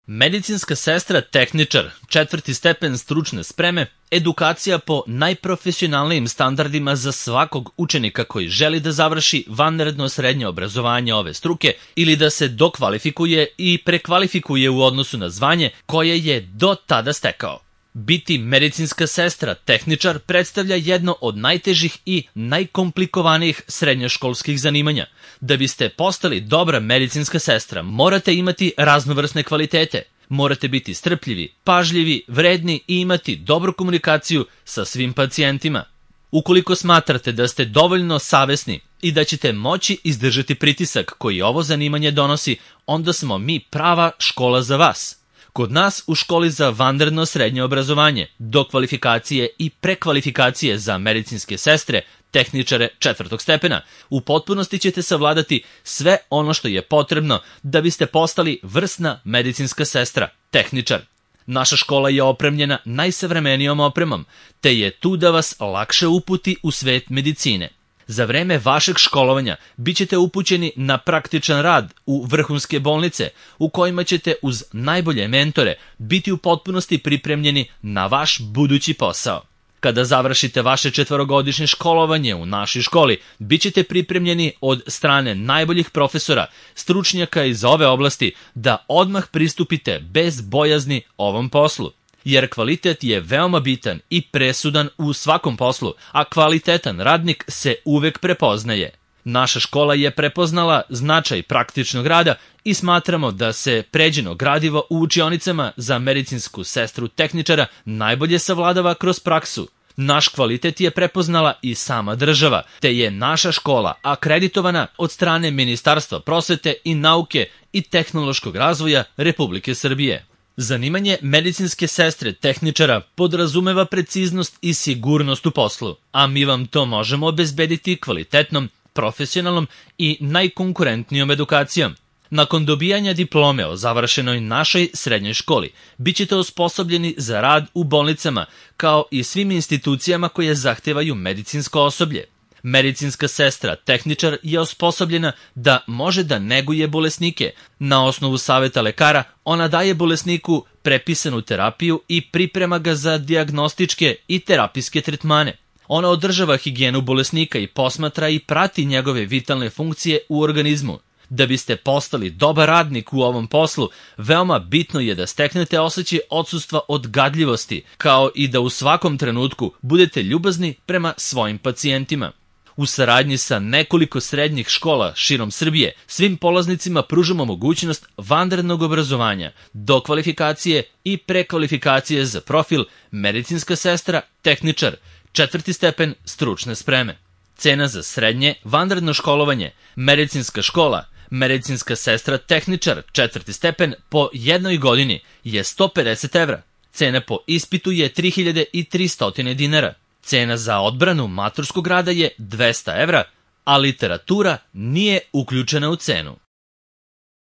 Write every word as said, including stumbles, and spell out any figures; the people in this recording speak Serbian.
Medicinska sestra tehničar, četvrti stepen stručne spreme, edukacija po najprofesionalnijim standardima za svakog učenika koji želi da završi vanredno srednje obrazovanje ove struke ili da se dokvalifikuje i prekvalifikuje u odnosu na zvanje koje je do tada stekao. Biti medicinska sestra tehničar predstavlja jedno od najtežih i najkomplikovanijih srednjoškolskih zanimanja. Da biste postali dobra medicinska sestra, morate imati raznovrsne kvalitete. Morate biti strpljivi, pažljivi, vredni i imati dobru komunikaciju sa svim pacijentima. Ukoliko smatrate da ste dovoljno savesni i da ćete moći izdržati pritisak koji ovo zanimanje donosi, onda smo mi prava škola za vas. Kod nas u školi za vanredno srednje obrazovanje, dokvalifikacije i prekvalifikacije za medicinske sestre, tehničare četvrtog stepena, u potpunosti ćete savladati sve ono što je potrebno da biste postali vrsna medicinska sestra, tehničar. Naša škola je opremljena najsavremenijom opremom, te je tu da vas lakše uputi u svet medicine. Za vreme vašeg školovanja bit ćete upućeni na praktičan rad u vrhunske bolnice u kojima ćete uz najbolje mentore biti u potpunosti pripremljeni na vaš budući posao. Kada završite vaše četvorogodišnje školovanje u našoj školi, bit ćete pripremljeni od strane najboljih profesora, stručnjaka iz ove oblasti da odmah pristupite bez bojazni ovom poslu. Jer kvalitet je veoma bitan i presudan u svakom poslu, a kvalitetan radnik se uvek prepoznaje. Naša škola je prepoznala značaj praktičnog rada i smatramo da se pređeno gradivo u učionicama za medicinsku sestru tehničara najbolje savladava kroz praksu. Naš kvalitet je prepoznala i sama država, te je naša škola akreditovana od strane Ministarstva prosvete i nauke i tehnološkog razvoja Republike Srbije. Zanimanje medicinske sestre tehničara podrazumeva preciznost i sigurnost u poslu, a mi vam to možemo obezbediti kvalitetnom, profesionalnom i najkonkurentnijom edukacijom. Nakon dobijanja diplome o završenoj našoj srednjoj školi, bit ćete osposobljeni za rad u bolnicama, kao i svim institucijama koje zahtevaju medicinsko osoblje. Medicinska sestra tehničar je osposobljena da može da neguje bolesnike. Na osnovu saveta lekara ona daje bolesniku prepisanu terapiju i priprema ga za dijagnostičke i terapijske tretmane. Ona održava higijenu bolesnika i posmatra i prati njegove vitalne funkcije u organizmu. Da biste postali dobar radnik u ovom poslu, veoma bitno je da steknete osjećaj odsustva od gadljivosti, kao i da u svakom trenutku budete ljubazni prema svojim pacijentima. U saradnji sa nekoliko srednjih škola širom Srbije, svim polaznicima pružamo mogućnost vanrednog obrazovanja, dokvalifikacije i prekvalifikacije za profil medicinska sestra tehničar, četvrti stepen stručne spreme. Cena za srednje vanredno školovanje, medicinska škola, medicinska sestra tehničar, četvrti stepen po jednoj godini je sto pedeset evra. Cena po ispitu je tri hiljade tristo dinara. Cena za odbranu maturskog rada je dvesta evra, a literatura nije uključena u cenu.